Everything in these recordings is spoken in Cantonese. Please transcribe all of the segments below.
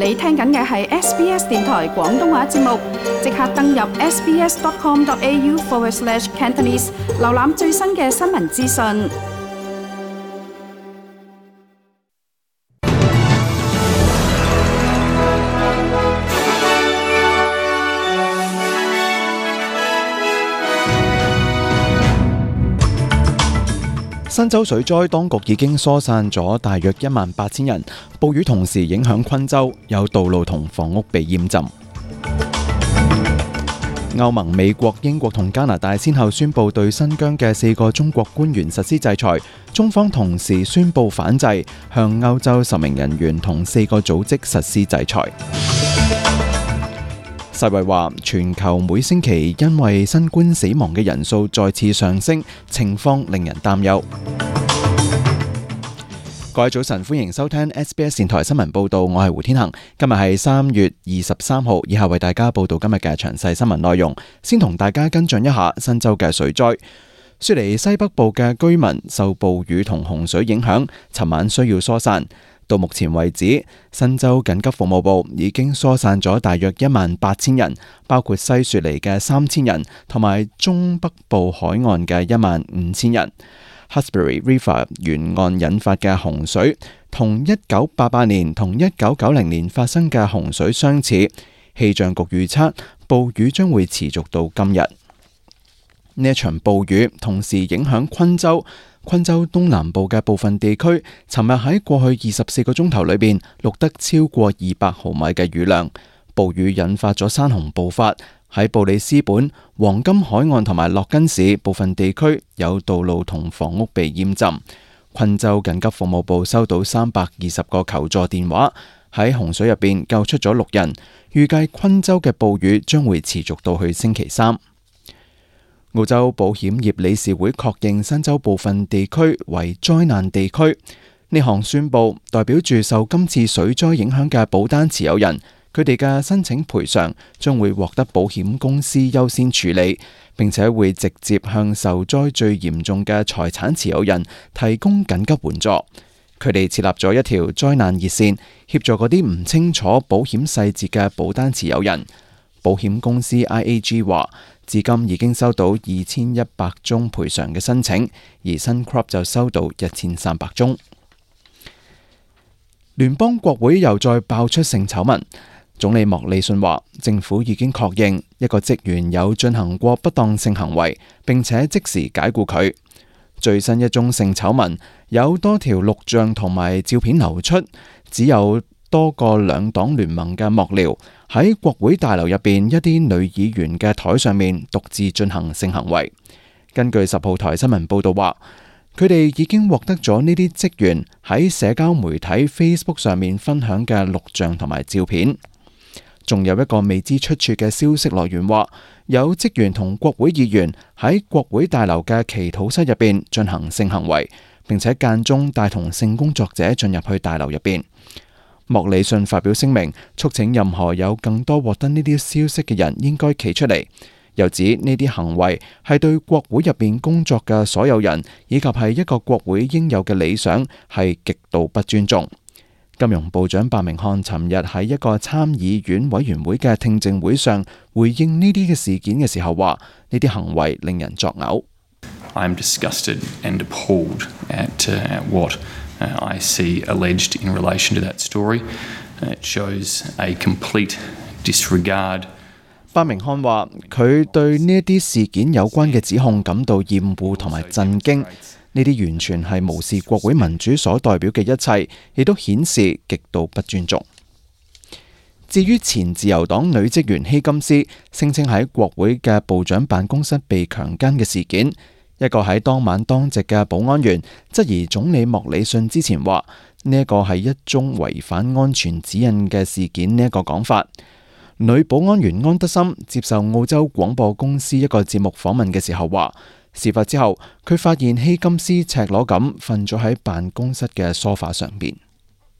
你聽緊嘅係 SBS 電台廣東話節目，即刻登入 sbs.com.au/Cantonese 瀏覽最新嘅新聞資訊。新州水災，當局已經疏散咗大約18000人。暴雨同時影響昆州，有道路同房屋被淹浸。歐盟、美國、英國同加拿大先後宣布對新疆嘅4個中國官員實施制裁，中方同時宣布反制，向歐洲10名人員同4個組織實施制裁。世衛話，全球每星期因為新冠死亡嘅人數再次上升，情況令人擔憂。各位早晨，歡迎收聽 SBS 電台新聞報道，我係胡天恒。今日係3月23號，以下為大家報道今日嘅詳細新聞內容。先同大家跟進一下新州嘅水災。雪梨西北部嘅居民受暴雨同洪水影響，尋晚需要疏散。到目前為止，新州緊急服務部已經疏散咗大約18000人，包括西雪梨嘅3000人，同埋中北部海岸嘅15000人。Hawkesbury River 沿岸引發嘅洪水，同1988年同1990年發生嘅洪水相似。氣象局預測，暴雨將會持續到今日。呢一場暴雨同時影響昆州東南部嘅部分地區，尋日喺過去24個鐘頭裏邊錄得超過200毫米嘅雨量。暴雨引發咗山洪暴發，喺布里斯本、黃金海岸同埋洛根市部分地區有道路同房屋被淹浸。昆州緊急服務部收到320個求助電話，喺洪水入邊救出咗6人。預計昆州嘅暴雨將會持續到去星期3。澳洲保險業理事會確認新州部分地區為災難地區。呢項宣布代表住受今次水災影響嘅保單持有人，佢哋嘅申請賠償將會獲得保險公司優先處理，並且會直接向受災最嚴重嘅財產持有人提供緊急援助。佢哋設立咗一條災難熱線，協助嗰啲唔清楚保險細節嘅保單持有人。保險公司 IAG 話，至今已經收到2100宗賠償嘅申請，而新 Crop 就收到1300宗。聯邦國會又再爆出性醜聞。總理莫里遜話，政府已經確認一個職員有進行過不當性行為，並且即時解僱佢。最新一宗性醜聞有多條錄像同埋照片流出，只有多個兩黨聯盟嘅幕僚喺國會大樓入邊一啲女議員嘅台上面獨自進行性行為。根據10號台新聞報道話，佢哋已經獲得咗呢啲職員喺社交媒體 Facebook 上面分享嘅錄像同埋照片。仲有一個未知出處嘅消息來源話，有職員同國會議員喺國會大樓嘅祈禱室入邊進行性行為，並且間中帶同性工作者進入去大樓入邊。莫里遜發表聲明，促請任何有更多獲得呢啲消息嘅人應該企出嚟，又指呢啲行為係對國會入邊工作嘅所有人，以及係一個國會應有嘅理想，係極度不尊重。金融部長白明漢尋日喺一個參議院委員會嘅聽證會上回應呢啲嘅事件嘅時候話，呢啲行為令人作嘔。I am disgusted and appalled at what I see alleged in relation to that story. It shows a complete disregard. 白明漢話，佢對呢一啲事件有關嘅指控感到厭惡同埋震驚。呢啲完全係無視國會民主所代表嘅一切，亦都顯示極度不尊重。至於前自由黨女職員希金斯聲稱喺國會嘅部長辦公室被強姦嘅事件，一個喺當晚當值嘅保安員質疑總理莫里遜之前話呢一個係一宗違反安全指引嘅事件呢一個講法。女保安員安德森接受澳洲廣播公司一個節目訪問嘅時候話，事發之後，佢發現希金斯赤裸咁瞓咗喺辦公室嘅梳化上邊。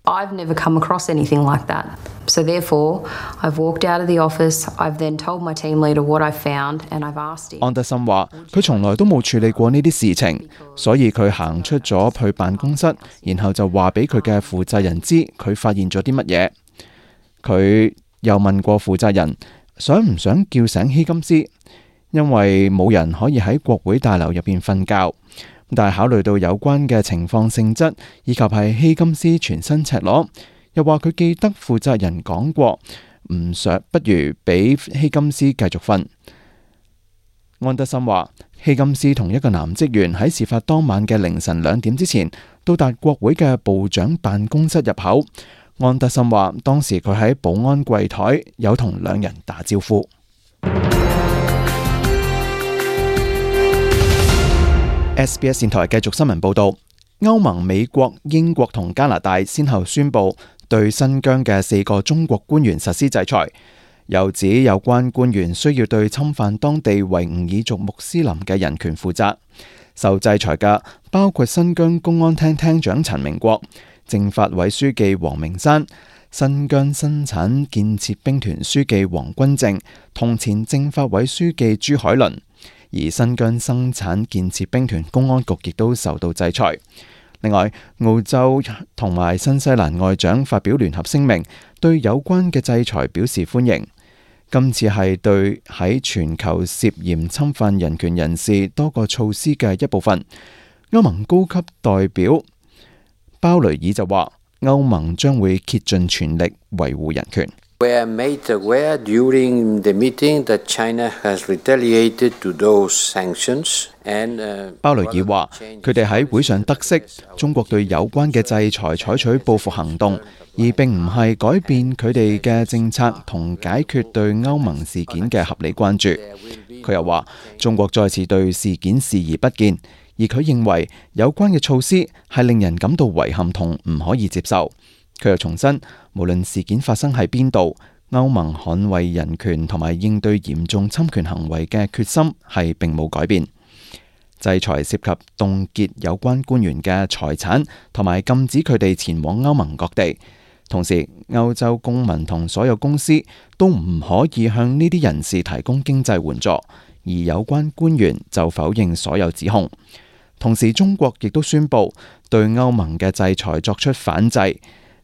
I've never come across anything like that. So therefore, I've walked out of the office. I've then told my team leader what I found, and I've asked him. 安德森話：佢從來都冇處理過呢啲事情，所以佢行出咗去辦公室，然後就話俾佢嘅負責人知佢發現咗啲乜嘢。佢又問過負責人想唔想叫醒希金斯，因為冇人可以喺國會大樓入邊瞓覺。但係考慮到有關嘅情況性質，以及係希金斯全身赤裸，又話佢記得負責人講過不如俾希金斯繼續瞓。安德森話，希金斯同一個男職員喺事發當晚嘅凌晨2點之前到達國會嘅部長辦公室入口。安德森話，當時佢喺保安櫃台有同2人打招呼。SBS 電台繼續新聞報道，歐盟、美國、英國同加拿大先後宣布對新疆嘅4個中國官員實施制裁，又指有關官員需要對侵犯當地維吾爾族穆斯林嘅人權負責。受制裁嘅包括新疆公安廳廳長陳明國、政法委書記黃明山、新疆生產建設兵團書記黃君正同前政法委書記朱海倫。而新疆生產建設兵團公安局亦都受到制裁。另外，澳洲同埋新西蘭外長發表聯合聲明，對有關嘅制裁表示歡迎。今次係對喺全球涉嫌侵犯人權人士多個措施嘅一部分。歐盟高級代表鮑雷爾就話，歐盟將會竭盡全力維護人權。鮑雷爾話，佢哋喺會上得悉，中國對有關嘅制裁採取報復行動，而並唔係改變佢哋嘅政策同解決對歐盟事件嘅合理關注。佢又話，中國再次對事件視而不見，而佢認為有關嘅措施係令人感到遺憾同唔可以接受。佢又重申，無論事件發生喺邊度，歐盟捍衛人權同埋應對嚴重侵權行為嘅決心係並冇改變。制裁涉及凍結有關官員嘅財產，同埋禁止佢哋前往歐盟各地。同時，歐洲公民同所有公司都唔可以向呢啲人士提供經濟援助，而有關官員就否認所有指控。同時，中國亦都宣布對歐盟嘅制裁作出反制，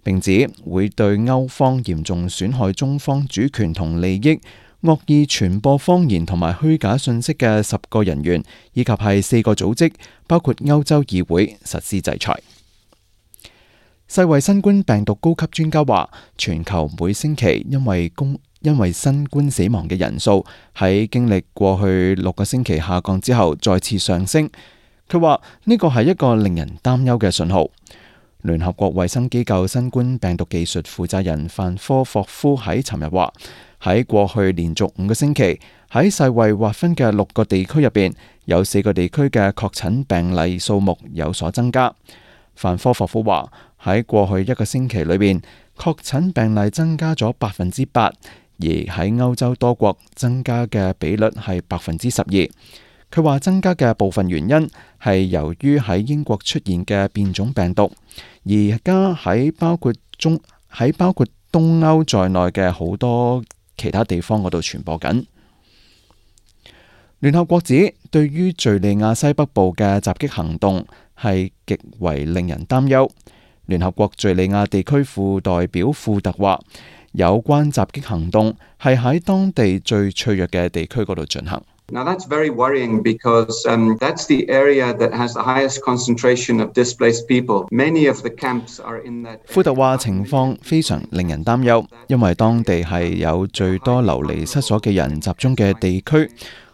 並指會對歐方嚴重損害中方主權同利益、惡意傳播謊言同埋虛假信息嘅10個人員，以及係4個組織，包括歐洲議會實施制裁。世衛新冠病毒高級專家話，全球每星期因為新冠死亡嘅人數喺經歷過去6個星期下降之後再次上升。佢話呢個係一個令人擔憂嘅信號。聯合國衛生機構新冠病毒技術負責人范科霍夫喺尋日話，喺過去連續5個星期，喺世衛劃分嘅6個地區入邊，有4個地區嘅確診病例數目有所增加。范科霍夫話，喺過去1個星期裏邊，確診病例增加咗8%，而喺歐洲多國增加嘅比率係12%。佢話增加嘅部分原因係由於喺英國出現嘅變種病毒，而家喺包括東歐在內嘅好多其他地方嗰度傳播緊。聯合國指，對於敘利亞西北部嘅襲擊行動係極為令人擔憂。聯合國敘利亞地區副代表庫特話，有關襲擊行動係喺當地最脆弱嘅地區嗰度進行。Now that's very worrying because that's the area that has the highest concentration of displaced people. Many of the camps are in that. 庫特話情況非常令人擔憂，因為當地係有最多流離失所嘅人集中嘅地區，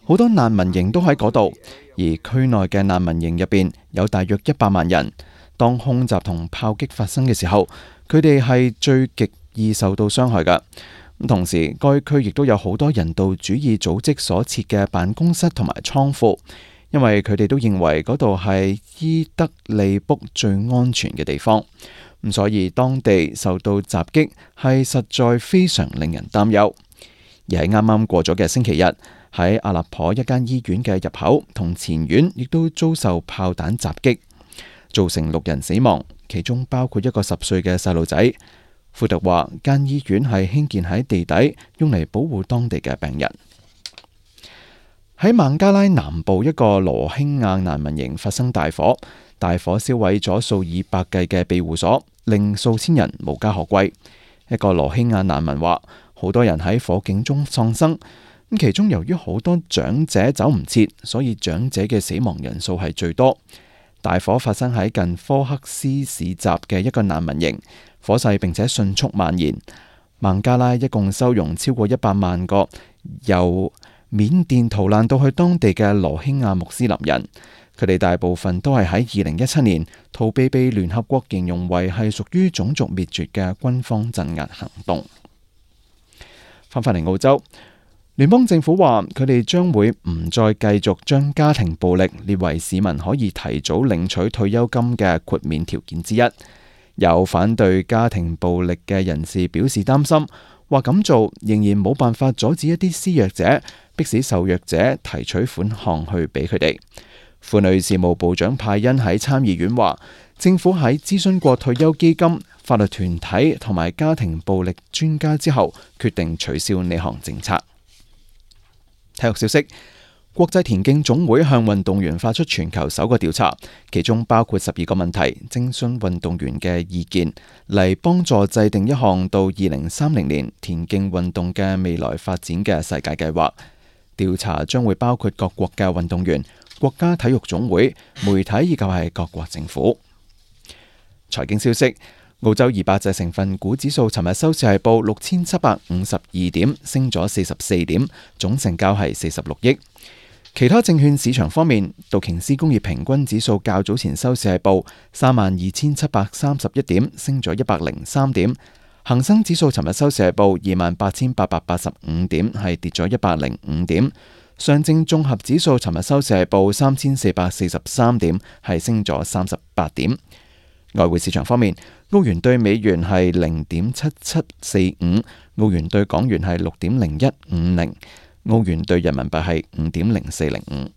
好多難民營都喺嗰度，而區內嘅難民營入邊有大約100萬人。當空襲同炮擊發生嘅時候，佢哋係最極易受到傷害㗎。同時，該區亦都有好多人道主義組織所設嘅辦公室同埋倉庫，因為佢哋都認為嗰度係伊德利卜最安全嘅地方。咁所以當地受到襲擊係實在非常令人擔憂。而喺啱啱過咗嘅星期日，喺阿勒頗一間醫院嘅入口同前院亦都遭受炮彈襲擊，造成6人死亡，其中包括一個10歲嘅細路仔。庫特話，間醫院係興建喺地底，用嚟保護當地嘅病人。喺孟加拉南部一個羅興亞難民營發生大火，大火燒毀咗數以百計嘅庇護所，令數千人無家可歸。一個羅興亞難民話，好多人喺火警中喪生，其中由於好多長者走唔切，所以長者嘅死亡人數係最多。大火發生喺近科克斯市集嘅一個難民營，火勢並且迅速蔓延。孟加拉一共收容超過100萬個由緬甸逃難到去當地嘅羅興亞穆斯林人，佢哋大部分都係喺2017年逃避被聯合國形容為係屬於種族滅絕嘅軍方鎮壓行動。翻返嚟澳洲，聯邦政府話佢哋將會唔再繼續將家庭暴力列為市民可以提早領取退休金嘅豁免條件之一。有反對家庭暴力嘅人士表示擔心，話咁做仍然冇辦法阻止一啲施虐者迫使受虐者提取款項去俾佢哋。婦女事務部長派恩喺參議院話，政府喺諮詢過退休基金、法律團體同埋家庭暴力專家之後，決定取消呢項政策。體育消息，國際田徑總會向運動員發出全球首個調查，其中包括12個問題，徵詢運動員嘅意見，嚟幫助制定一項到2030年田徑運動嘅未來發展嘅世界計劃。調查將會包括各國嘅運動員、國家體育總會、媒體以及係各國政府。財經消息，澳洲200隻成分股指數尋日收市係報6752點，升咗44點，總成交係46億。其他證券市場方面，道瓊斯工業平均指數較早前收市係報32731點，升咗103點。恒生指數尋日收市係報28885點，係跌咗105點。上證綜合指數尋日收市係報3443點，係升咗38點。外匯市場方面，澳元對美元係0.7745，澳元對港元係6.0150，澳元對人民幣係5.0405。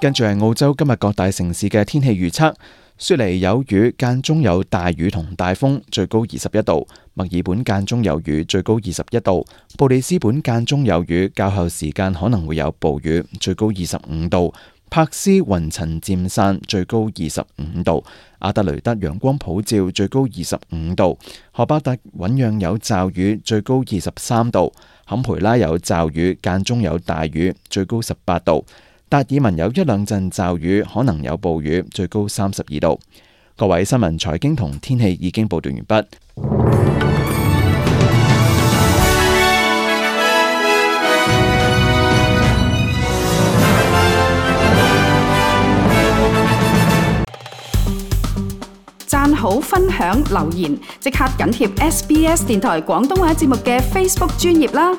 跟住係澳洲今日各大城市嘅天氣預測。雪梨有雨，間中有大雨同大風，最高21度；墨爾本間中有雨，最高21度；布里斯本間中有雨，較後時間可能會有暴雨，最高25度；柏斯雲層漸散，最高25度；阿德雷德陽光普照，最高25度；荷巴特醞釀有驟雨，最高23度；坎培拉有驟雨，間中有大雨，最高18度。達爾文有一兩陣驟雨，可能有暴雨，最高32度。各位新聞、財經同天氣已經報道完畢。讚好、分享、留言，即刻緊貼SBS 電台廣東話節目嘅 Facebook 專頁啦！